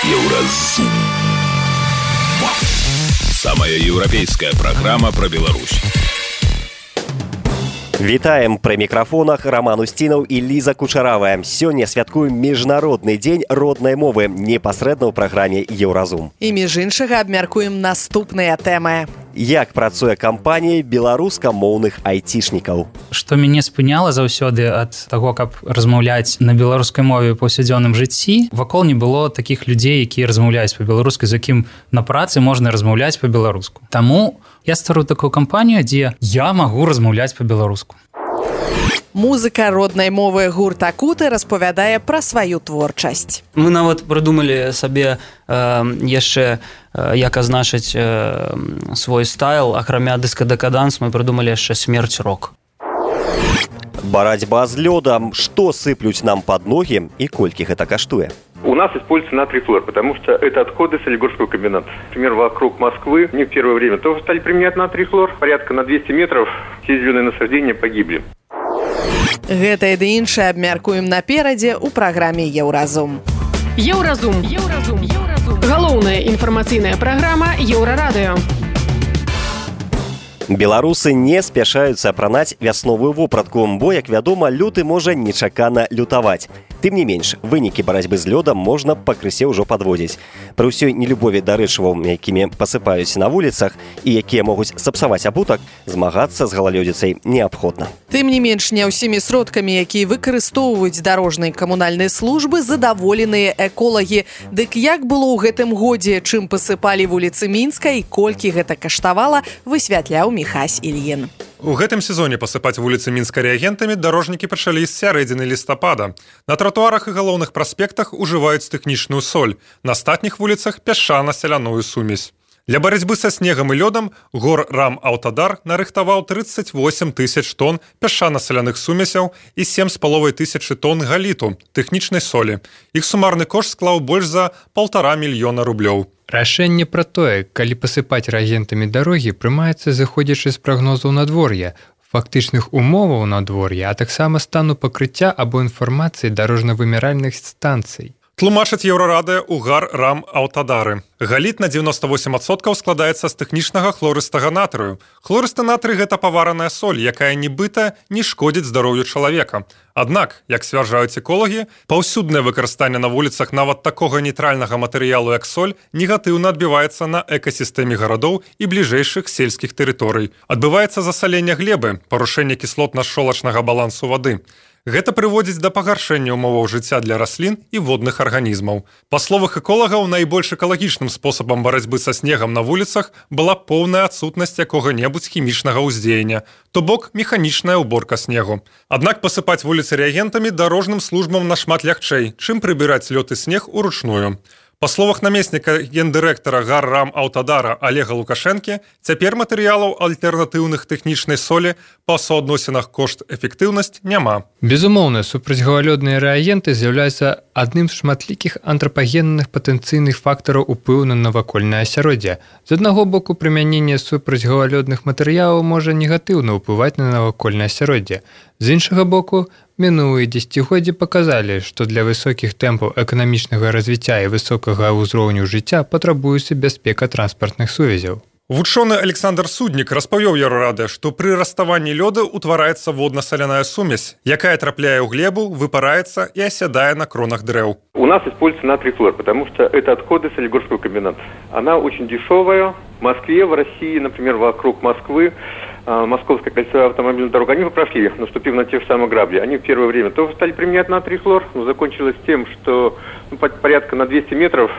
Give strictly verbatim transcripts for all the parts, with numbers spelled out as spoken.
Еўразум. Самая еўрапейская программа про Беларусь. Вітаем пры мікрафонах Роман Устінаў і Ліза Кучаравая. Сёння святкуем міжнародны дзень роднай мовы непасрэдна ў праграме Еўразум. І між іншага абмяркуем наступныя тэмы. Як працуе кампанія беларускамоўных айцішнікаў? Што мяне спыняла заўсёды ад таго, каб размаўляць на беларускай мове ў паўсядзённым жыцці, вакол не было такіх людзей, якія размаўляюць па-беларускай, з якім на працы можна размаўляць па-беларуску. Таму я стварыў такую кампанію, дзе я магу размаўляць па-беларуску. Музыка роднай мовы гурт Акуты распавядае пра сваю творчасць. Мы нават прыдумалі сабе э, яшчэ, э, як азначыць э, свой стайл, акрамя дыска-дэкаданс мы прыдумалі яшчэ смерць рок. Барацьба з лёдам. Што сыплюць нам пад ногі і колькі гэта каштуе? У нас используется натрий флор, потому что это отходы Солигорского комбината. Например, вокруг Москвы не в первое время тоже стали применять натрий флор. Порядка на двести метров все зеленые насаждения погибли. Гэта і ды іншае абмяркуем наперадзе ў праграме Еўразум. Еўразум. Еўразум. Еўразум. Галоўная інфармацыйная праграма Еўрарадыё. Беларусы не спяшаюцца апранаць вясновую вопратку, бо, як вядома, люты можа нечакана лютаваць. Тым не менш, вынікі барацьбы з лёдам можна пакрысе ўжо падводзіць. Пры ўсёй нелюбові да рэчываў, якімі пасыпаюць на вуліцах і якія могуць сапсаваць абутак, змагацца з галалёдзіцай неабходна. Тым не менш, не ўсімі сродкамі, якія выкарыстоўваюць дарожныя камунальныя службы, задаволеныя эколагі. Дык як было ў гэтым годзе, чым пасыпалі вуліцы Мінска і колькі гэта каштавала, высвятляў Міхась Ільін. У гэтым сезоне пасыпаць вуліцы Мінска рэагентамі дарожнікі пачалі з сярэдзіны лістапада. На тратуарах і галоўных праспектах ужываюць тэхнічную соль, на астатніх вуліцах пясчана-сяляную сумесь. Для барацьбы са снегам і лёдам гор Рам Аўтадар нарыхтаваў трыццаць восем тысяч тонн пясчана-саляных сумесяў і сем з паловай тысячы тонн галіту, тэхнічнай солі. Іх сумарны кошт склаў больш за паўтара мільёна рублёў. Рашэнне пра тое, калі пасыпаць рэагентамі дарогі, прымаецца зыходзячы з прагнозаў надвор'я, фактычных умоваў надвор'я, а таксама стану пакрыцця або інфармацыі дарожна-вымяральных станцый. Тлумачыць Еўрарадыё Угар Рам Аўтадары. Галіт на дзевяноста восем адсоткаў складаецца з тэхнічнага хлорыстага натрыю. Хлорысты натрый – гэта павараная соль, якая нібыта не шкодзіць здароўю чалавека. Аднак, як сцвярджаюць эколагі, паўсюднае выкарыстанне на вуліцах нават такога нейтральнага матэрыялу, як соль, негатыўна адбіваецца на экасістэме гарадоў і бліжэйшых сельскіх тэрыторый. Адбываецца засаленне глебы, парушэнне кіслотна-шчолачнага балансу вады. Гэта прыводзіць да пагаршэння ўмоваў жыцця для раслін і водных арганізмаў. Па словах эколагаў, найбольш экалагічным спосабам барацьбы са снегам на вуліцах была поўная адсутнасць якога-небудзь хімічнага ўздзеяння, то бок механічная ўборка снегу. Аднак пасыпаць вуліцы рэагентамі дарожным службам нашмат лягчэй, чым прыбіраць лёд і снег уручную. Па словах намесніка гендырэктара Гар Рам Аўтадара Олега Лукашэнкі, цяпер матэрыялаў альтэрнатыўных тэхнічнай солі па суадносінах кошт-эфектыўнасць няма. Безумоўна, супрацьгалалёдныя рэагенты з'яўляюцца адным з шматлікіх антрапагенных патэнцыйных фактараў уплыву на навакольнае асяроддзе. З аднаго боку, прымяненне супрацьгалалёдных матэрыялаў можа негатыўна ўплываць на навакольнае асяроддзе. З іншага боку, мінулыя дзесяцігоддзі паказалі, што для высокіх тэмпаў эканамічнага развіцця і высокага ўзроўню жыцця патрабуецца бяспека транспартных сувязяў. Вучоны Александр Суднік распавёў Еўрарадыё, што пры раставанні лёду ўтвараецца водна-саляная сумесь, якая трапляе ў глебу, выпараецца і асядае на кронах дрэў. У нас используется натрий флор, потому что это отходы Солигорского комбината. Она очень дешевая. В Москве, в России, например, вокруг Москвы, Московская кольцевая автомобильная дорога, они прошли, наступив на те же самые грабли. Они в первое время тоже стали применять натрий флор, но закончилось тем, что ну, порядка на двести метров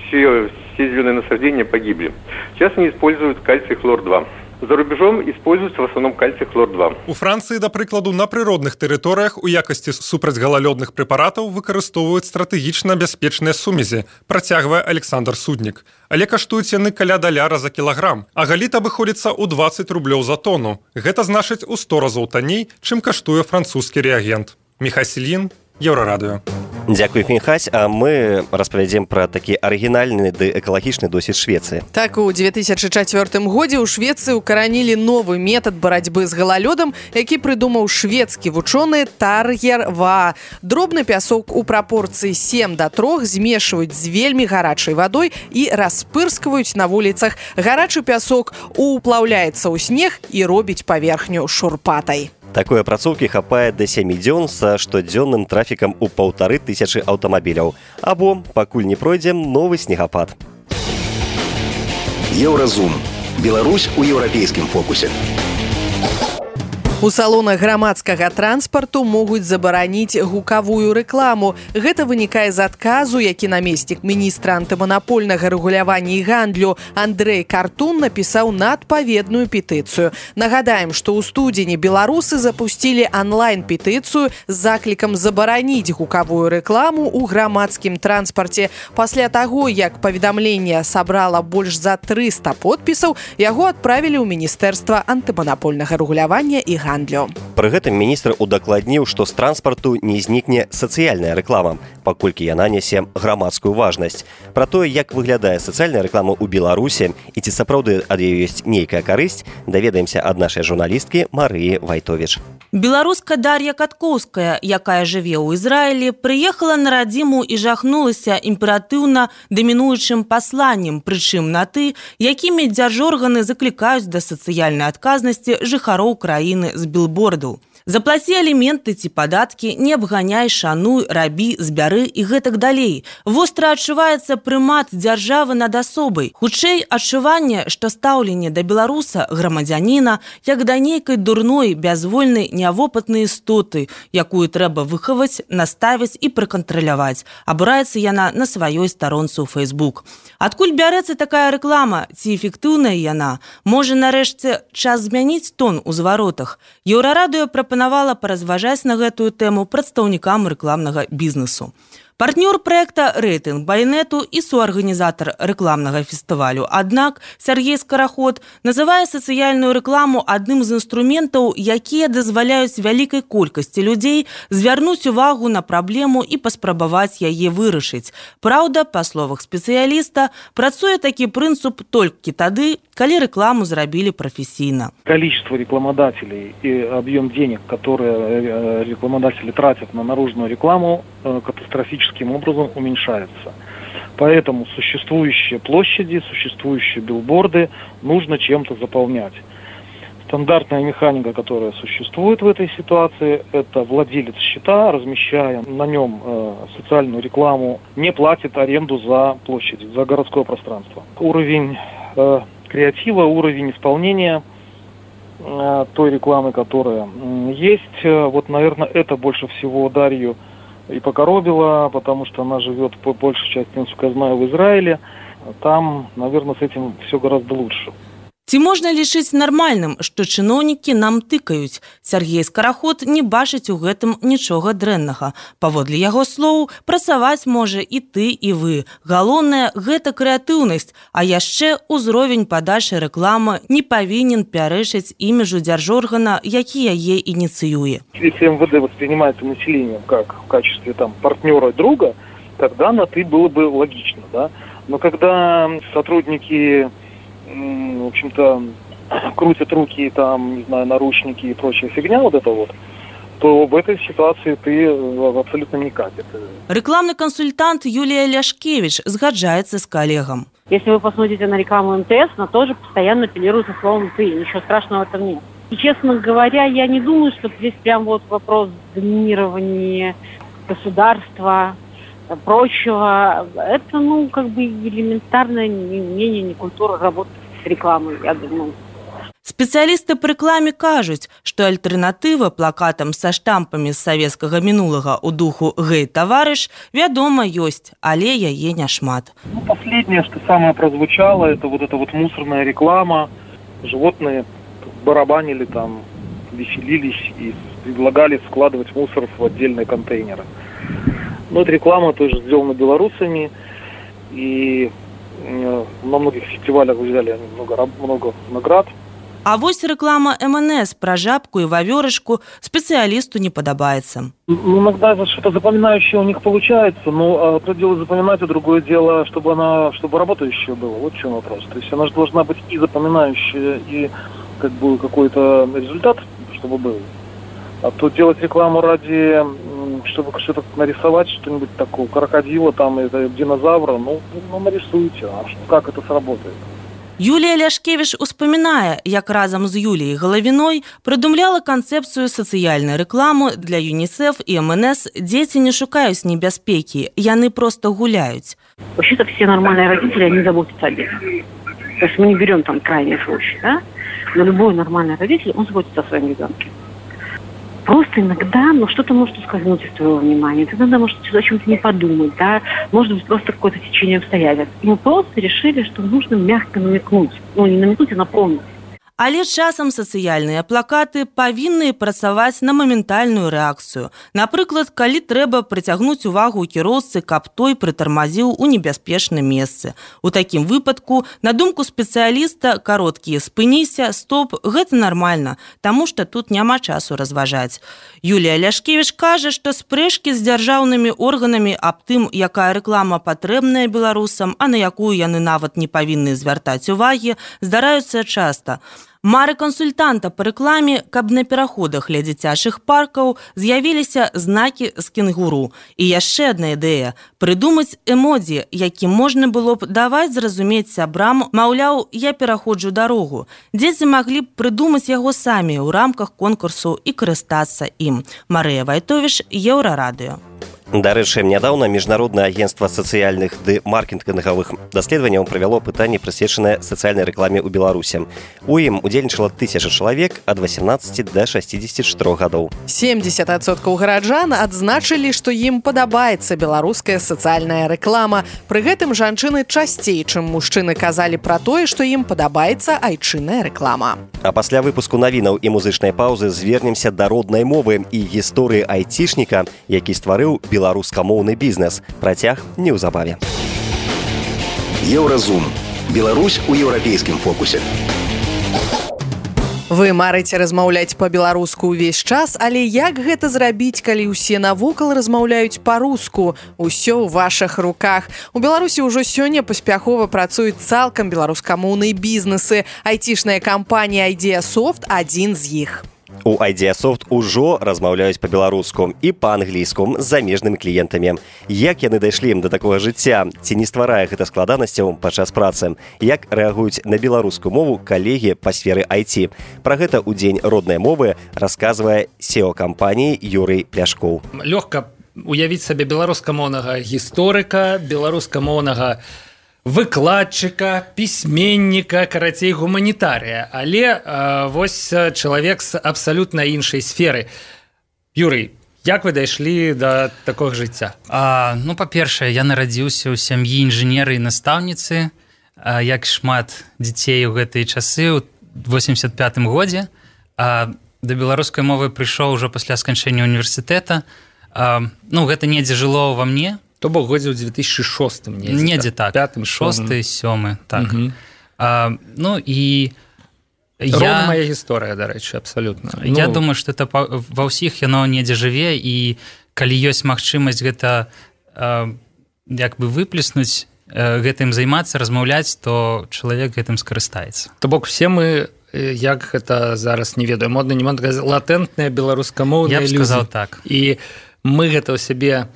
все, все зеленые насаждения погибли. Сейчас они используют кальций хлор два. За рубежом используется в основном кальций хлор два. У Францыі, да прыкладу, на прыродных тэрыторыях у якасці супрацьгалалёдных прэпаратаў выкарыстоўваюць стратэгічна бяспечныя сумесі, працягвае Александр Суднік. Але каштуюць яны каля даляра за кілаграм, а галіт абыходзіцца ў дваццаць рублёў за тону. Гэта значыць у сто разоў танней, чым каштуе французскі рэагент. Міхась Ільін, Еўрарадыё. Дзякуй, Фінхась, а мы распавядзем пра такі арыгінальны ды экалагічны досвед Швецыі. Так, у две тысячи четвёртым годзе ў Швецыі укаранілі новы метад барацьбы з галалёдам, які прыдумаў шведскі вучоны Таргер Ва. Дробны пясок у прапорцыі сем да трох змешваюць з вельмі гарачай вадой і распырскваюць на вуліцах. Гарачы пясок уплаўляецца ў снег і робіць паверхню шурпатай. Такой апрацоўкі хапае да сямі дзён са штодзённым трафікам у паўтары тысячы аўтамабіляў. Або, пакуль не пройдзе новы снегапад. Еўразум. Беларусь у еўрапейскім фокусе. У салонах грамадскага транспарту могуць забараніць гукавую рэкламу. Гэта вынікае з адказу, які намеснік міністра антыманапольнага рэгулявання і гандлю Андрэй Картун напісаў на адпаведную петыцыю. Нагадаем, што ў студзені беларусы запусцілі онлайн-петыцыю з заклікам забараніць гукавую рэкламу ў грамадскім транспарце. Пасля таго, як паведамленне сабрала больш за трыста подпісаў, яго адправілі ў Міністэрства антыманапольнага рэгулявання і гандлю. Пры гэтым міністр удакладніў, што з транспарту не знікне сацыяльная рэклама, паколькі яна нясе грамадскую важнасць. Пра тое, як выглядае сацыяльная рэклама ў Беларусі і ці сапраўды ад яе ёсць нейкая карысць, даведаемся ад нашай журналісткі Марыі Вайтовіч. Беларуска Дар'я Каткоўская, якая жыве ў Ізраілі, прыехала на радзіму і жахнулася імператыўна дамінуючым пасланнем, прычым на ты, якімі дзяржорганы заклікаюць да сацыяльнай адказнасці жыхароў краіны з билбордаў. Заплаці аліменты ці падаткі, не абганяй, шануй, рабі, збяры і гэтак далей. Востра адчуваецца прымат дзяржавы над асобай. Хутчэй адчуванне, што стаўленне да беларуса, грамадзяніна, як да нейкай дурной, бязвольнай, нявопытнай істоты, якую трэба выхаваць, наставіць і прыкантраляваць. Абураецца яна на сваёй старонцы ў Facebook. Адкуль бярэцца такая рэклама? Ці эфектыўная яна? Можа, нарэшце, час змяніць тон у зваротах? Еўрарадыё прапанавала паразважаць на гэтую тэму прадстаўнікам рэкламнага бізнесу. Партнёр проекта «Рэйтынг Байнету» і суарганізатар рэкламнага фестывалю. Аднак Сергей Скараход называе сацыяльную рэкламу адным з інструментаў, якія дазваляюць вялікай колькасці людзей звярнуць увагу на праблему і паспрабаваць яе вырашыць. Праўда, па словах спецыяліста, працуе такі прынцып толькі тады, калі рэкламу зрабілі прафесійна. Количество рекламодателей и объем денег, которые рекламодатели тратят на наружную рекламу, катастрофическим образом уменьшается. Поэтому существующие площади, существующие билборды нужно чем-то заполнять. Стандартная механика, которая существует в этой ситуации, это владелец счета, размещая на нем э, социальную рекламу, не платит аренду за площадь, за городское пространство. Уровень э, креатива, уровень исполнения э, той рекламы, которая э, есть, э, вот, наверное, это больше всего Дарью и покоробило, потому что она живет по большей части, насколько я знаю, в Израиле. Там, наверное, с этим все гораздо лучше. Ці можна лічыць нармальным, што чыноўнікі нам тыкаюць? Сергей Скараход не бачыць у гэтым нічога дрэннага. Паводле яго слоў, працаваць можа і ты, і вы. Галоўнае – гэта крэатыўнасць, а яшчэ ўзровень падачы рэкламы не павінен пярэчыць іміджу дзяржоргана, які яе ініцыюе. Если эм вэ дэ воспринимается населением как в качестве там, партнера друга, тогда на «ты» было бы логично. Да? Но когда сотрудники... в общем-то, крутят руки, там, не знаю, наручники и прочая фигня вот это вот, то в этой ситуации ты абсолютно не катит. Рекламный консультант Юлия Ляшкевич сгаджается с коллегом. Если вы посмотрите на рекламу эм тэ эс, она тоже постоянно апеллирует на словом «ты». Ничего страшного в этом нет. И, честно говоря, я не думаю, что здесь прям вот вопрос доминирования государства, прочего. Это, ну, как бы элементарное неумение, не культура работы с рекламой, я думаю. Спецыялісты па рэкламе кажуць, што альтэрнатыва плакатам са штампамі з савецкага мінулага ў духу «Гэй, таварыш» вядома ёсць, але яе няшмат. Ну, последнее, что самое прозвучало, это вот эта вот мусорная реклама. Животные барабанили там, веселились и предлагали складывать мусор в отдельные контейнеры. Но эта реклама тоже сделана белорусами, и на многих фестивалях взяли много, много наград. А вось реклама эм эн эс про жабку и ваверышку специалисту не подобается. Иногда что-то запоминающее у них получается, но одно дело запоминать, а другое дело, чтобы она, чтобы работающая была. Вот в чем вопрос. То есть она же должна быть и запоминающая, и как бы какой-то результат, чтобы был. А то делать рекламу ради, чтобы что-то нарисовать, что-нибудь такого, крокодила, там, это, динозавра, ну, ну нарисуйте, а как это сработает? Юлія Ляшкевіч успамінае, як разам з Юліяй Галавіной прыдумляла канцэпцыю сацыяльнай рэкламы для ЮНИСЕФ і эм эн эс. Дзеці не шукаюць небяспекі, яны просто гуляюць. Вообще-то все нормальные родители, они заботятся о детях. То есть мы не берем там крайний случай, да? Но любой нормальный родитель, он заботится о своем ребенке. Просто иногда, ну, что-то может ускользнуть из твоего внимания. Ты иногда можешь о чем-то не подумать, да. Может быть, просто какое-то течение обстоятельств. И мы просто решили, что нужно мягко намекнуть. Ну, не намекнуть, а напомнить. Але часам сацыяльныя плакаты павінны працаваць на моментальную рэакцыю. Напрыклад, калі трэба прыцягнуць увагу кіроўцы, каб той прытармазіў у небяспечным месцы. У такім выпадку, на думку спецыяліста, кароткія «спыніся», «стоп» – гэта нармальна, таму што тут няма часу разважаць. Юлія Ляшкевіч кажа, што спрэчкі з дзяржаўнымі органамі аб тым, якая рэклама патрэбная беларусам, а на якую яны нават не павінны звяртаць увагі, здараюцца часта. Мары кансультанта па рэкламе, каб на пераходах ля дзіцячых паркаў з'явіліся знакі з кенгуру. І яшчэ адна ідэя – прыдумаць эмодзі, якім можна было б даваць зразумець сябрам, маўляў, я пераходжу дарогу. Дзеці маглі б прыдумаць яго самі ў рамках конкурсу і карыстацца ім. Марыя Вайтовіш, Еўрарадыё. Дарэчы, нядаўна міжнароднае агенцтва сацыяльных ды маркетынгавых даследаванняў правяло пытанне, прысвечанае сацыяльнай рэкламе ў Беларусі. У ім удзельнічала тысяча чалавек ад восемнадцати да шестидесяти четырёх гадоў. семьдесят адсоткаў гараджан адзначылі, што ім падабаецца беларуская сацыяльная рэклама. Пры гэтым жанчыны часцей, чым мужчыны, казалі пра тое, што ім падабаецца айчынная рэклама. А пасля выпуску навінаў і музычнай паўзы звернемся да роднай мовы і гісторыі айцішніка, які стварыў беларускамоўны бізнес. Працяг неўзабаве. Еўразум. Беларусь у еўрапейскім фокусе. Вы марыце размаўляць па-беларуску ўвесь час, але як гэта зрабіць, калі ўсе навокал размаўляюць па-руску? Усё ў вашых руках. У Беларусі ўжо сёння паспяхова працуюць цалкам беларускамоўныя бізнесы. Айцішная кампанія Idea-Soft – адзін з іх. У Idea-Soft ужо размаўляюць па-беларуску і па-англійску з замежнымі кліентамі. Як яны дайшлі ім да такога жыцця? Ці не стварае гэта складанасцяў падчас працы? Як рэагуюць на беларускую мову калегі па сферы ай ти? Пра гэта ў дзень роднай мовы расказвае си і о кампаніі Юрый Пляшкоў. Лёгка уявіць сабе беларускамоўнага гісторыка, беларускамоўнага выкладчыка, пісьменніка, карацей, гуманітарыя. Але э, вось чалавек з абсалютна іншай сферы. Юрый, як вы дайшлі да такога жыцця? А, ну, па-першае, я нарадзіўся ў сям'і інжынера і настаўніцы, а, як шмат дзяцей у гэтыя часы, у восемьдесят пятым годзе. А, да беларускай мовы прыйшоў ужо пасля сканчэння універсітэта. А, ну, гэта недзе жыло ва мне. То бок годзе ў две тысячи шостым. Недзе, недзе так. Пятым, шосты, сёмы. Так. Угу. А, ну, і... Роўна моя гісторыя, дарэчы, абсалютна. Я ну... думаю, што это па... ва ўсіх яно недзе жыве, і калі ёсць магчымасць гэта а, як бы выплеснуць, а, гэтым займацца, размаўляць, то чалавек гэтым скарыстаецца. То бок все мы, як гэта зараз не ведаю, модна, не модна, латэнтная беларускамоўная ілюзія. Я б сказаў так. І мы гэта ў сябе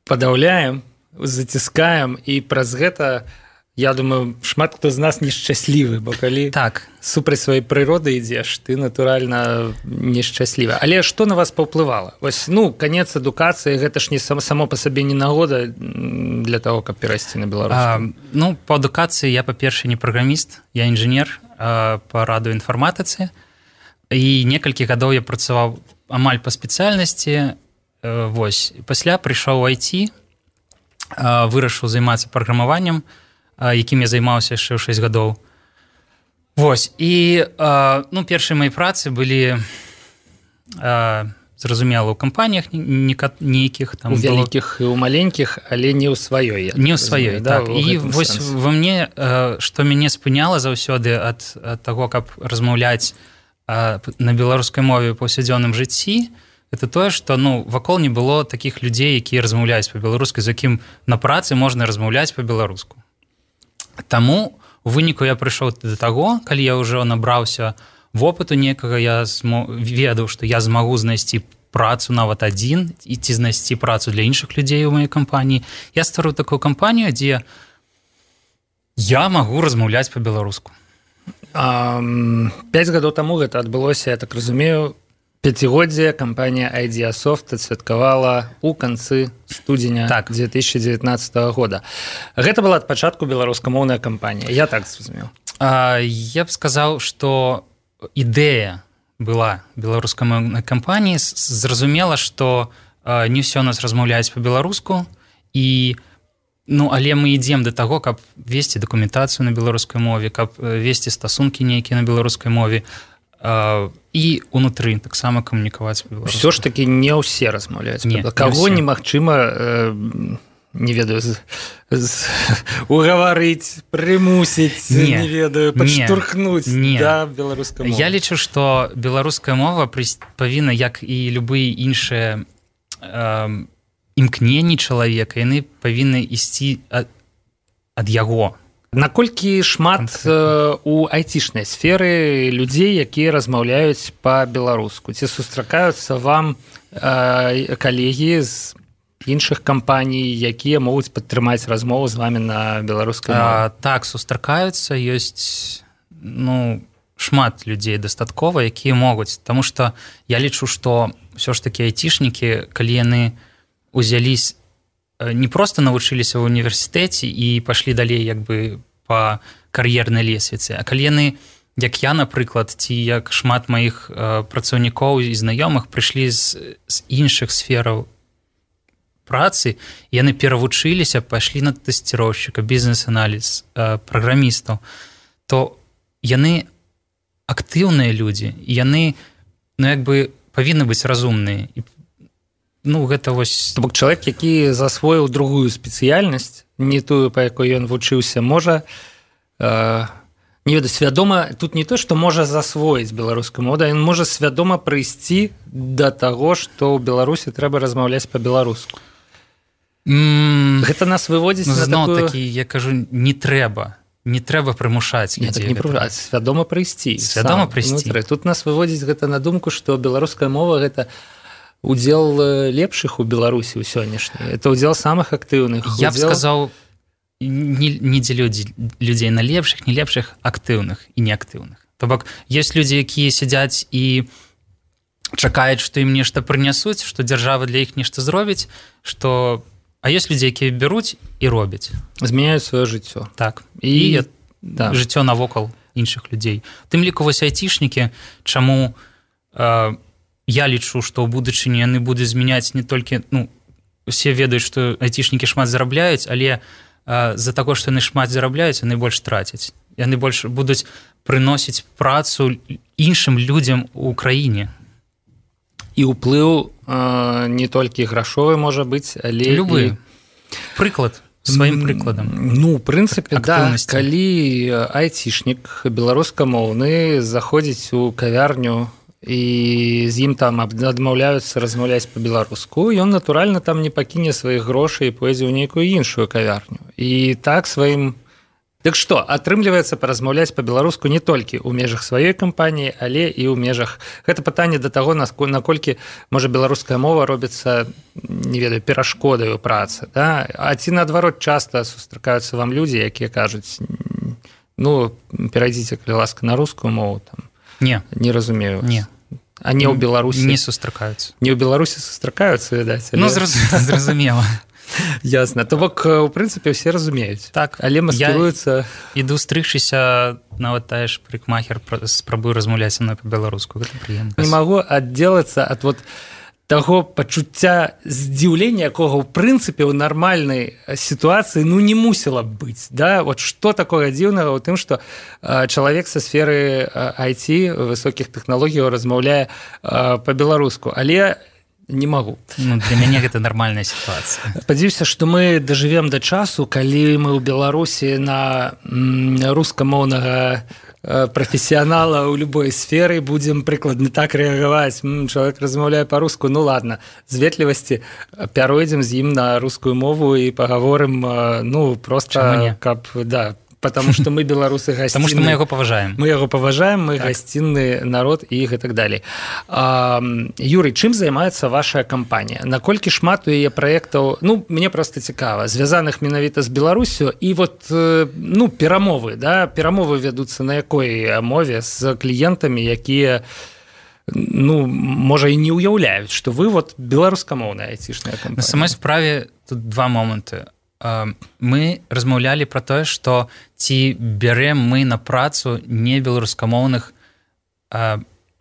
падаўляем, заціскаем, і праз гэта, я думаю, шмат хто з нас нешчаслівы, бо калі так. супраць сваёй прыроды ідзеш, ты, натуральна, нешчаслівы. Але што на вас паўплывала? Вось, ну, канец адукацыі, гэта ж не сам, само па сабе не нагода для таго, каб перайсці на беларускую. Ну, па адукацыі я, па-першае, не праграміст, я інжынер а, па радыёінфарматыцы, і некалькі гадоў я працаваў амаль па спецыяльнасці. Вось. Пасля прыйшоў у ай ти, вырашыў займацца праграмаваннем, якім я займаўся яшчэ ў шэсць гадоў. Вось. І ну, першыя мае працы былі зразумела, у кампаніях нейкіх там у вялікіх і у маленькіх, але не ў сваёй. Не ў сваёй, так. І вось во мне, што мяне спыняла заўсёды ад таго, каб размаўляць на беларускай мове ў паўсядзённым жыцці, это тое, што ну, вакол не было такіх людзей, якія размаўляюць па-беларуску, з якім на працы можна размаўляць па-беларуску. Таму у выніку я прыйшоў да таго, калі я ўжо набраўся вопыту некага, я змо... ведаў, што я змагу знайсці працу нават адзін і ці знайсці працу для іншых людзей у маёй кампаніі. Я стварыў такую кампанію, дзе я магу размаўляць па-беларуску. Пяць гадоў таму гэта адбылося, я так разумею, пяцігоддзе кампанія Idеасофт адсвяткавала ў канцы студзеня так. две тысячи девятнадцатого года. Гэта была ад пачатку беларускамоўная кампанія. Я так зразумеў. А, я б сказаў, што ідэя была беларускамоўнай кампаніі. Зразумела, што а, не ўсё нас размаўляюць па-беларуску, і ну, але мы ідзем да таго, каб весці дакументацыю на беларускай мове, каб весці стасункі нейкія на беларускай мове, і унутры таксама камунікаваць па-беларуску. Усё ж такі не ўсе размаўляюць. Каго немагчыма, не ведаю, з, з, угаварыць, прымусіць, не, не ведаю, падштурхнуць да беларускай мовы. Я лічу, што беларуская мова павінна, як і любыя іншыя э, імкненні чалавека, яны павінны ісці ад, ад яго. Наколькі шмат э, у айцішнай сферы людзей, якія размаўляюць па-беларуску? Ці сустракаюцца вам э, калегі з іншых кампаній, якія могуць падтрымаць размову з вамі на беларускай мове? Так, сустракаюцца, ёсць ну, шмат людзей дастаткова, якія могуць, таму што я лічу, што ўсё ж такі айцішнікі, калі яны узялись, не проста навучыліся ў універсітэце і пашлі далей як бы па кар'ернай лесвіцы, а калі яны, як я, напрыклад, ці як шмат маіх э, працаўнікоў і знаёмых прыйшлі з, з іншых сфераў працы, яны перавучыліся, пайшлі на тэсціроўшчыка, бізнес-аналіз, э, праграмістаў, то яны актыўныя людзі, і яны ну, як бы павінны быць разумныя. І ну, гэта вось... То бок чалавек, які засвоіў другую спецыяльнасць, не тую, па якой ён вучыўся, можа, э, не ведаю, свядома, тут не то, што можа засвоіць беларускую мову, ён можа свядома прыйсці да таго, што ў Беларусі трэба размаўляць па-беларуску. Mm, гэта нас выводзіць на такую... такі, я кажу, не трэба. Не трэба прымушаць людзей. Не, так не прымушаць, свядома прыйсці. Свядома прыйсці. Внутры. Тут нас выводзіць гэта на думку, што беларуская мова гэта удзел лепшых у Беларусі ў сённяшняй. Это удзел самых актыўных. Я б сказаў, не, не дзелю людзей на лепшых, не лепшых, актыўных і неактыўных. То бок, ёсць людзі, якія сядзяць і чакаюць, што ім нешта прынясуць, што дзяржава для іх нешта зробіць, што... а ёсць людзі, якія бяруць і робяць. Змяняюць сваё жыццё. Так. І, і да. жыццё навокал іншых людзей. Тым ліку вось айцішнікі, чаму... Э, я лічу, што ў будучыні яны будуць змяняць не толькі, ну, усе ведаюць, што айцішнікі шмат зарабляюць, але а, з-за таго, што яны шмат зарабляюць, яны больш трацяць. Яны больш будуць прыносіць працу іншым людзям у краіне. І ўплыў а, не толькі грашовы можа быць, але... Любы. І... Прыклад. Сваім прыкладам. Ну, ў прынцыпе, да, калі айцішнік беларускамоўны заходзіць у кавярню і з ім там адмаўляюцца размаўляць па-беларуску, ён, натуральна, там не пакіне сваіх грошай і пойдзе ў нейкую іншую кавярню. І так сваім... Так што, атрымліваецца паразмаўляць па-беларуску не толькі ў межах сваёй кампаніі, але і ў межах... Гэта пытанне да таго, наколькі, можа, беларуская мова робіцца, не ведаю, перашкодаю працы. Да? А ці, наадварот, часта сустракаюцца вам людзі, якія кажуць, ну, перайдзіце, калі ласка, на рускую мову, там, не, не разумею. Не. А не ў Беларусі? Не сустракаюцца. Не ў Беларусі сустракаюцца, відаць. Але... Ну, зразумела. Ясна. То бок, у прынцыпе, ўсе разумеюць. Так. Але маскіруюцца... Я іду стрыгчыся, нават тая ж прыкмахер, спрабую размаўляць са мной па-беларуску. Гэта прыемна. Не магу аддзелацца ад вот таго пачуцця здзіўлення, якога ў прынцыпе ў нармальнай сітуацыі ну не мусіла б быць, да? Вот што такога дзіўнага ў тым, што чалавек са сферы ай ти высокіх тэхналогіяў размаўляе па-беларуску, але не магу. Ну, для мяне гэта нармальная сітуацыя. Спадзяюся, што мы дажывем да часу, калі мы ў Беларусі на рускамоўнага прафесіянала ў любой сферы будзем прыкладна так рэагаваць. Чалавек размаўляе па-руску, ну ладно, з ветлівасці пяройдзем з ім на рускую мову і пагаворым, ну, проста, каб, да, потому что мы беларусы гасцінны. Потому что мы яго паважаем. Мы яго паважаем, мы так. Гасцінны народ і гэтак далей. А, Юрый, чым займаецца ваша кампанія? Наколькі шмат у яе праектаў, ну, мне проста цікава, звязаных менавіта з Беларусю і вот, ну, перамовы, да, перамовы вядуцца на якой мове з кліентамі, якія ну, можа і не ўяўляюць, што вы вот беларускамоўная айцішная кампанія. На самой справе тут два моманты. Мы размаўлялі пра тое, што ці бярэм мы на працу не беларускамоўных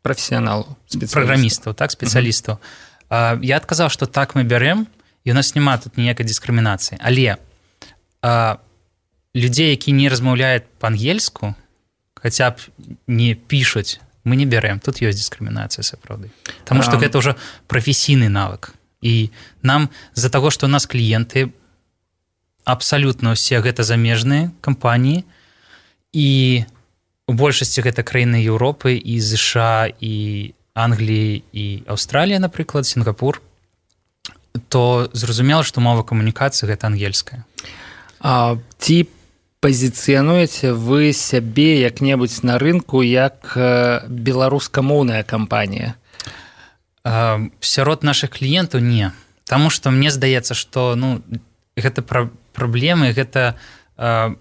прафесіяналаў, праграмістаў, так, спецыялістаў. Uh-huh. Я адказаў, што так мы бярэм, і у нас няма тут ніякай дыскрымінацыі. Але а, людзей, які не размаўляюць па-ангельску, хаця б не пішуць, мы не бярэм. Тут ёсць дыскрымінацыя, сапраўды. Таму што um... гэта ўжо прафесійны навык. І нам з-за таго, што у нас кліенты абсалютна ўсе гэта замежныя кампаніі, і у большасці гэта краіны Еўропы, і ЗША, і Англіі, і Аўстралія, напрыклад, Сінгапур, то зразумела, што мова камунікацыі гэта ангельская. А ці пазіцыянуеце вы сябе як-небудзь на рынку як беларускамоўная кампанія? А, сярод нашых кліентаў не. Таму што мне здаецца, што ну, гэта пра праблемы, гэта, э,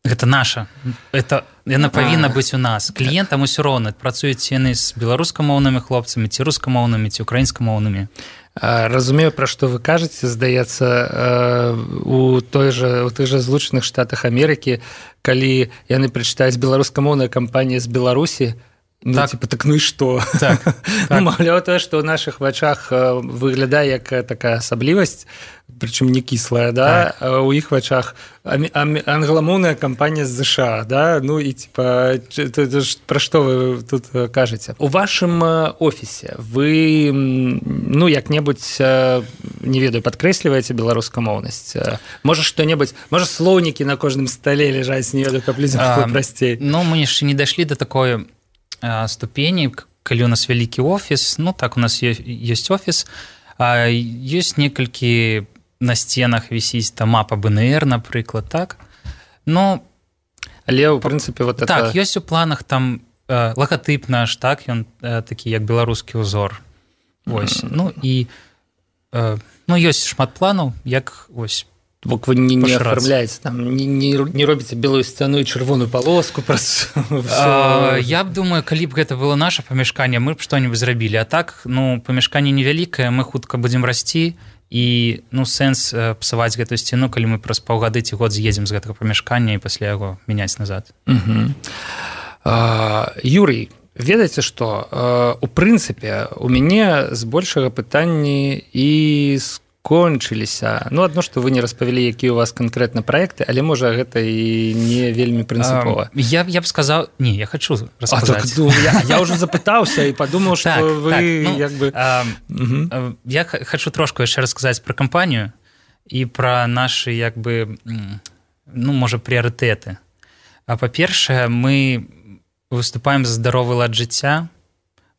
гэта наша. Это, яна павінна быць у нас. Кліентам усё роўна, працуюць яны з беларускамоўнымі хлопцамі, ці рускамоўнымі, ці украінскамоўнымі. Разумею, пра што вы кажаце, здаецца, у той жа, у тых жа Злучаных Штатах Амерыкі, калі яны прачытаюць беларускамоўная кампанія з Беларусі, ну, так. Типа, так ну і што? Так, так. Ну, маўляў, тое, што ў нашых вачах выглядае як такая асаблівасць, прычым не кіслая, да? Так. У іх вачах англамоўная кампанія з ЗША, да? Ну і типа, пра што вы тут кажаце? У вашым офісе вы, ну, як-небудзь, не ведаю, падкрэсліваеце беларускамоўнасць? Можа, што-небудзь, можа, слоўнікі на кожным стале ляжаць, не ведаю, каб людзям было прасцей? Ну, мы яшчэ не дайшлі да такой ступені, калі у нас вялікі офіс, ну так, у нас ёсць офіс, ёсць некалькі на сценах вісіць там мапа бэ эн ер, напрыклад, так? Ну, але, ў прынцыпе, вот так, это... ёсць у планах там лагатып наш, так, ён такі, як беларускі ўзор. Вось, mm-hmm. ну і ну, ёсць шмат планаў, як, вось, Бок вы не, не оформляеце, там, не, не, не робіце белую сцяну і чырвоную палоску праз... а, я б думаю, калі б гэта было наша памяшканне, мы б што-небудзь зрабілі. А так, ну, памяшканне невялікае, мы хутка будзем расці, і, ну, сэнс псаваць гэтую сцяну, калі мы праз паўгады ці год з'едзем з гэтага памяшкання і пасля яго мяняць назад. Угу. А, Юрый, ведаеце што? У прынцыпе, у мяне збольшага пытанні і з кончыліся. Ну, адно, што вы не распавялі, якія у вас канкрэтна праекты, але, можа, гэта і не вельмі прынцыпова. Я, я б сказаў... Не, я хочу расказаць. А, так, ну, я, я ўжо запытаўся і падумаў, што так, вы так, ну, як бы... А, угу. Я хочу трошку яшчэ расказаць пра кампанію і пра нашы, як бы, ну, можа, прыярытэты. А, па-першае, мы выступаем за здаровы лад жыцця.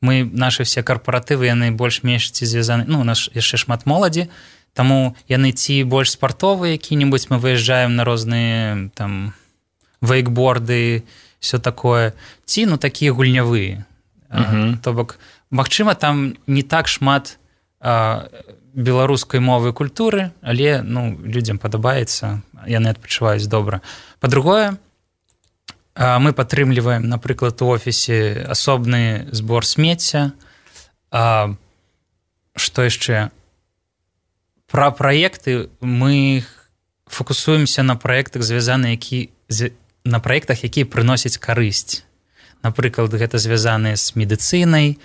Мы, нашы все карпаратывы, яны больш-менш ці звязаны... Ну, у нас яшчэ шмат моладзі, таму яны ці больш спартовыя які-небудзь, мы выязджаем на розныя там вейкборды, все такое, ці, ну, такія гульнявыя. Uh-huh. То бок, магчыма, там не так шмат а, беларускай мовы і культуры, але, ну, людзям падабаецца, яны адпачываюць добра. Па-другое, а, мы падтрымліваем, напрыклад, у офісе асобны збор смецця. А, што яшчэ? Пра праекты мы фокусуемся на праектах, звязаны, які, на праектах, якія прыносяць карысць. Напрыклад, гэта звязаныя з медыцынай,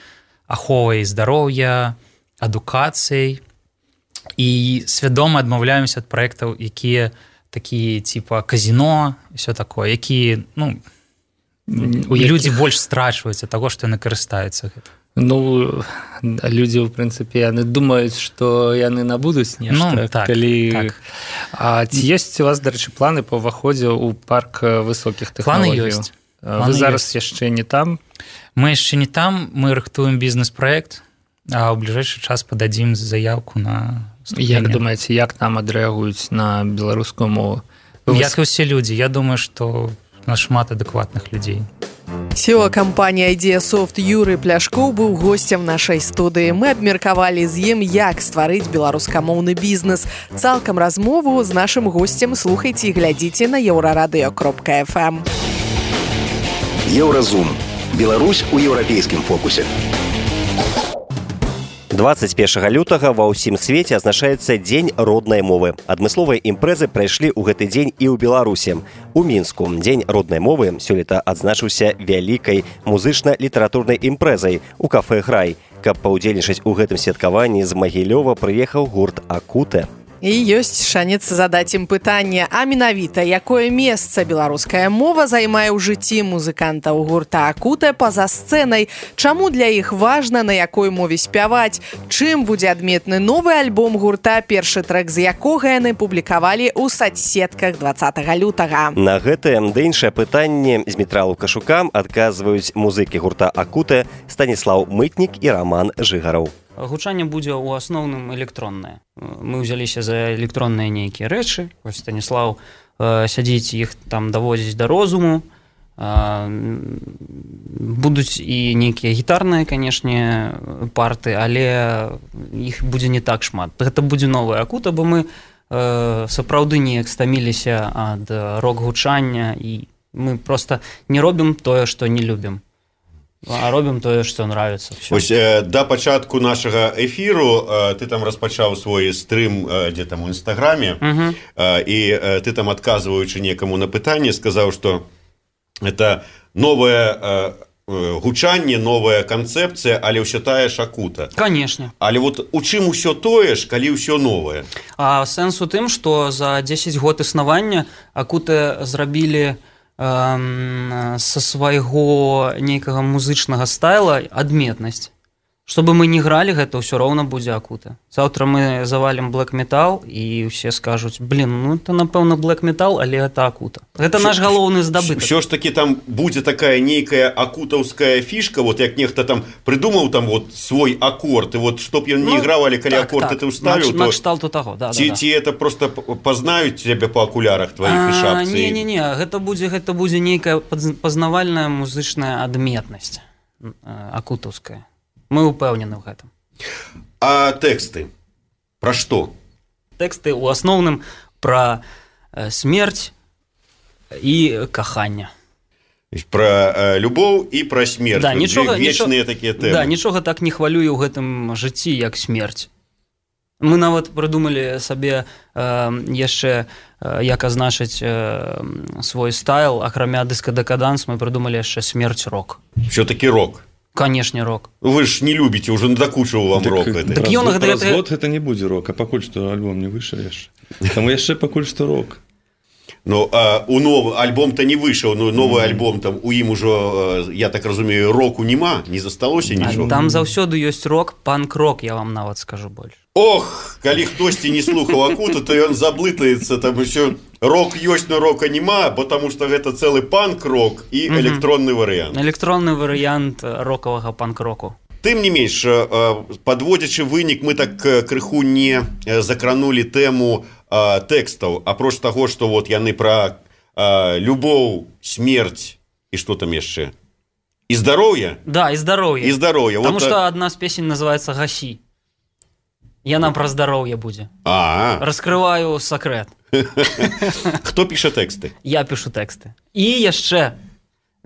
аховай здароўя, адукацыяй і свядома адмаўляемся ад праектаў, якія такія типа казино, все такое, якія, ну, у людзі больш страчваюцца таго, што яны карыстаюцца гэта. Ну, людзі, в прынцыпе, яны думаюць, што яны набудуць нешта, ну, так, калі... Так. А ці ёсць у вас, дарэчы, планы па ўваходзе ў парк высокіх тэхналогій? Планы ёсць. Вы зараз ёсць. Яшчэ не там? Мы яшчэ не там, мы рыхтуем бізнес-праект, а ў бліжэйшы час пададзім заявку на ступені. Як думаеце, як там адрэагуюць на беларускую мову? Як і ўсе людзі. Я думаю, што у нас шмат адэкватных людзей. Сео кампанія Idea-Soft Юры Пляшкоў быў госцем нашай студыі. Мы абмеркавалі з ім, як стварыць беларускамоўны бізнес. Цалкам размову з нашым госцем слухайце і глядзіце на еўрарадыё кропка эф эм. Еўразум. Беларусь у еўрапейскім фокусе. дваццаць першага лютага ва ўсім свеце азначаецца дзень роднай мовы. Адмысловыя імпрэзы прайшлі ў гэты дзень і ў Беларусі. У Мінску дзень роднай мовы сёлета адзначыўся вялікай музычна-літаратурнай імпрэзай у кафэ «Грай». Каб паўдзельнічаць у гэтым святкаванні, з Магілёва прыехаў гурт «Акуте». І ёсць шанец задаць ім пытанне, а менавіта, якое месца беларуская мова займае ў жыцці музыкантаў гурта «Акуте» па-за сцэнай, чаму для іх важна, на якой мове спяваць, чым будзе адметны новы альбом гурта, першы трэк з якога яны публікавалі ў сацсетках дваццатага лютага. На гэтае ды іншае пытанне з Дмітра Лукашука адказваюць музыкі гурта «Акуте» Станіслаў Мытнік і Раман Жыгараў. Гучанне будзе ў асноўным электроннае. Мы ўзяліся за электронныя нейкія рэчы. Вось Станіслаў э, сядзіць, іх там даводзіць да розуму. Э, будуць і нейкія гітарныя, канешне, парты, але іх будзе не так шмат. Гэта будзе новая «Акута», бо мы э, сапраўды неяк стаміліся ад рок-гучання, і мы проста не робім тое, што не любім. А робім тое, што нравіцца. Ось э, да пачатку нашага эфіру э, ты там распачаў свой стрым э, дзе там у інстаграме, uh-huh. э, і э, ты там, адказваючы некаму на пытанне, сказаў, што это новае э, гучанне, новая канцэпцыя, але ўсё тая ж «Акута». Канешне. Але вот у чым усё тое ж, калі ўсё новае? А сэнс у тым, што за дзесяць год існавання «Акуте» зрабілі са свайго нейкага музычнага стайла адметнасць. Чтобы мы не гралі, гэта ўсё роўна будзе «Акута». Заўтра мы завалім блэк-метал, і ўсе скажуць, блин, ну это, напэўна, блэк-метал, але гэта «Акута». Гэта наш галоўны здабытак. Усё ж такі там будзе такая нейкая акутаўская фішка, вот як нехта там прыдумаў там вот свой акорд, і вот чтоб ён не іграў, але калі акорд ты ўставіў, то... Накшталту таго, да, ці, да, да. Ці это просто пазнаюць цябе па акулярах тваіх і шапцы? Не-не-не, гэта будзе, гэта будзе нейкая пазнавальная музычная адметнасць акутаўская. Мы упэўнены ў гэтым. А тэксты? Пра што? Тэксты ў асноўным пра э, смерць і каханне. Пра э, любоў і пра смерць. Да, нічога, вечныя нічога, такія тэмы. Да, нічога так не хвалюе ў гэтым жыцці, як смерць. Мы нават прыдумалі сабе э, яшчэ, э, як азначыць э, свой стайл, акрамя дыска-дэкаданс, мы прыдумалі яшчэ смерць-рок. Всё-такі рок? Конечно, рок. Вы ж не любіце, уже надакучыў вам так, рок. Так, так ён, праз гэта... год гэта не будзе рок, а пакуль што альбом не выйшаў яшчэ. Таму яшчэ пакуль што рок. Ну, а у новы альбом-то не выйшаў, но новы mm. альбом там у ім ужо, я так разумею, року нема, не засталося нічога. Там заўсёды ёсць рок, панк-рок, я вам нават скажу больш. Ох, калі хтосьці не слухаў «Акуту», то ён заблытаецца, там усё рок ёсць, но рока нема, бо таму што гэта цэлы панк-рок і mm-hmm. электронны варыянт. Электронны варыянт рокавага панк-року. Тым не менш, падводзячы вынік, мы так крыху не закранулі тэму тэкстаў, апроч таго, што вот яны пра любоў, смерць і што там яшчэ? І здароўе? Да, і здароўе. І здароўе. Таму вот што адна з песень называецца «Гасі». Яна пра здароўе будзе. А. Раскрываю сакрэт. Хто піша тэксты? Я пішу тэксты. І яшчэ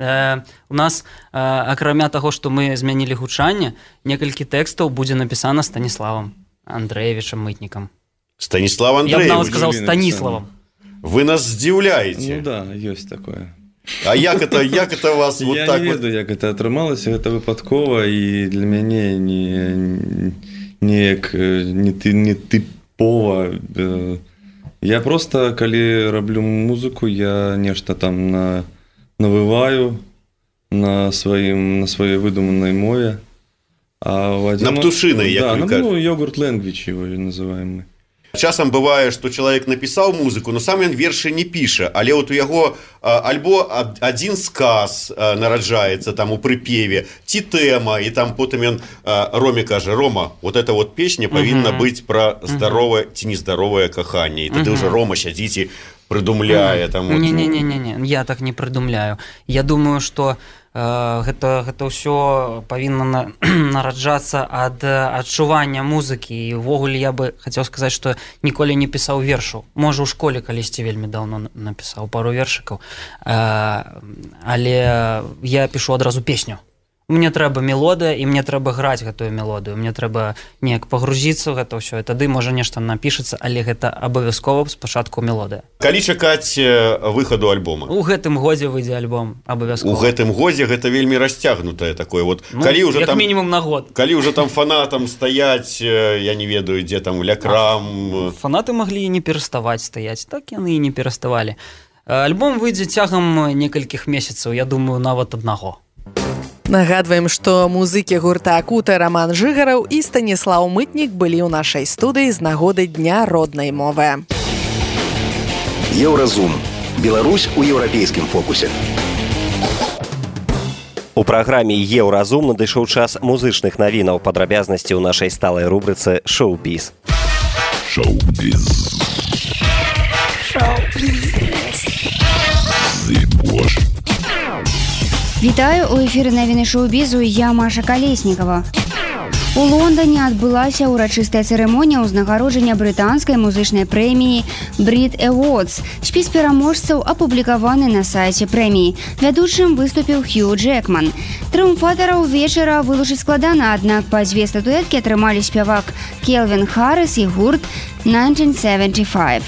э, у нас, э, акрамя таго, што мы змянілі гучанне, некалькі тэкстаў будзе напісана Станіславам Андрэевічам Мытнікам. Станіслав Андрэевич? Я б нават сказаў Станіславам. Вы нас здзіўляеце. Ну да, ёсць такое. А як это, як это вас вот я так? Я не ведаю, вот... як это атрымалася, гэта выпадкова, і для мяне не, неяк не, не тыпова. Я просто, калі раблю музыку, я нешта там на, навываю на, сваім, на сваёй выдуманай мове. А на птушиной, да, як ну, йогурт language его называем мы. Часам бывае, што чалавек напісаў музыку, но сам ён вершы не піша, але вот у яго альбо адзін сказ нараджаецца там у прыпеве, ці тэма, і там потым ён Роме кажа: Рома, вот эта вот песня павінна uh-huh. быць пра здаровае uh-huh. ці нездаровае каханне. І тады uh-huh. уже Рома сядзіць і прыдумляе uh-huh. там. Не-не-не, я так не прыдумляю. Я думаю, што гэта гэта ўсё павінна на, нараджацца ад адчування музыкі. І ўвогуле я бы хацеў сказаць, што ніколі не пісаў вершаў. Можа, у школе калісьці вельмі даўно напісаў пару вершыкаў, але я пішу адразу песню. Мне трэба мелодыя, і мне трэба граць гэтую мелодыю. Мне трэба неяк пагрузіцца ў гэта ўсё. І тады можа нешта напішацца, але гэта абавязкова спачатку мелодыя. Калі чакаць выхаду альбома? У гэтым годзе выйдзе альбом, абавязкова. У гэтым годзе гэта вельмі расцягнутае такое. Вот, ну, калі уже як там, мінімум на год. Калі ўжо там фанатам стаяць, я не ведаю, дзе там лякрам. Фанаты маглі і не пераставаць стаяць, так яны і не пераставалі. Альбом выйдзе цягам некалькіх месяцаў, я думаю, нават аднаго. Нагадваем, што музыкі гурта «Акута» Роман Жыгараў і Станіслаў Мытнік былі ў нашай студыі з нагоды Дня роднай мовы. Еўразум. Беларусь у еўрапейскім фокусе. У праграме «Еўразум» надышоў час музычных навінаў, падрабязнасці ў нашай сталай рубрыцы «Шоу-біз». Шоу-біз. Шоу-біз. Зыбош. Вітаю, у эфіры навіны шоу-бізу, я Маша Калеснікова. У Лондоне адбылася ўрачыстая цырымонія ўзнагароджання брытанскай музычнай прэміі Brit Awards. Спіс пераможцаў апублікаваны на сайце прэміі. Вядучым выступіў Хью Джекман. Трыумфатараў вечара вылучыць складана, аднак па дзве статуэткі атрымалі спявак Келвін Харрис і гурт тысяча девятьсот семьдесят пять.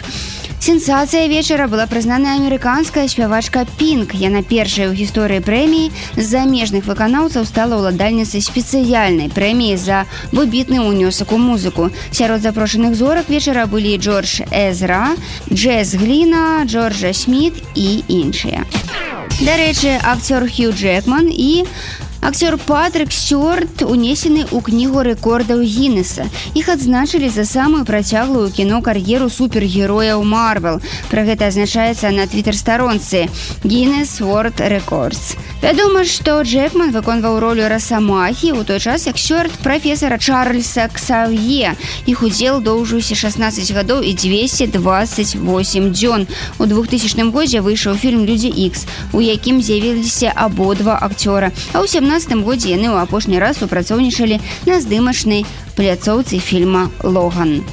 Сенсацыя вечара была прызнана амерыканская спявачка Пінк. Яна першая ў гісторыі прэміі з замежных выканаўцаў стала ўладальніцай спецыяльнай прэміі за выбітны ўнёсак у музыку. Сярод запрошаных зорак вечара былі Джордж Эзра, Джэз Гліна, Джорджа Сміт і іншыя. Дарэчы, акцёр Хью Джекман і акцёр Патрик Стюарт унесены ў кнігу рэкордаў Гіннеса. Іх адзначылі за самую працяглую кіно-кар'еру супергерояў Марвел. Пра гэта азначаецца на твітер-старонцы Guinness World Records. Вядома, што Джекман выконваў ролю Расамахі, у той час як Стюарт прафесара Чарльза Ксавье. Іх удзел доўжыўся шаснаццаць гадоў і дзвесце дваццаць восем дзён. У двухтысячным годзе выйшаў фільм «Людзі Ікс», у якім з'явіліся абодва акцёра, а ў сямнаццатым годзе яны ў апошні раз супрацоўнічалі на здымачнай пляцоўцы фільма «Логан».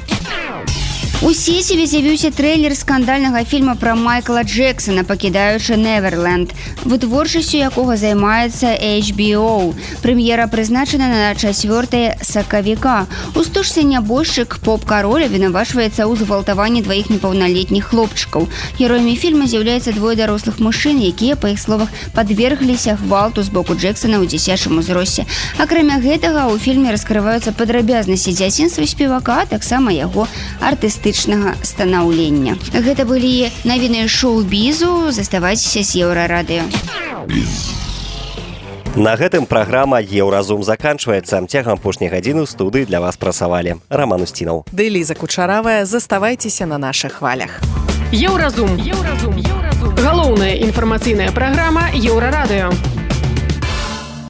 У сеціве з'явіўся трэйлер скандальнага фільма пра Майкла Джексона «Пакідаючы Неверленд», вытворчасцю якога займаецца эйч би о. Прэм'ера прызначана на чацвёртае сакавіка. У стужцы нябожчык поп-кароль абвінавачваецца ў згвалтаванні дваіх непаўналетніх хлопчыкаў. Героямі фільма з'яўляюцца двое дарослых мужчын, якія, па іх словах, падвергліся гвалту з боку Джексона ў дзіцячым узросце. Акрамя гэтага, у фільме раскрываюцца падрабязнасці дзяцінства спевака, а таксама яго артыстычнага станаўлення. Гэта былі навіны шоу-бізу. Заставайцеся з Еўрарадыё. На гэтым праграма «Еўразум» заканчваецца. Цягам апошняй гадзіны ў студыі для вас працавалі Раман Усцінаў. Ды Ліза Кучаравая. Заставайцеся на нашых хвалях. Еўразум. Еўразум. Галоўная інфармацыйная праграма Еўрарадыё.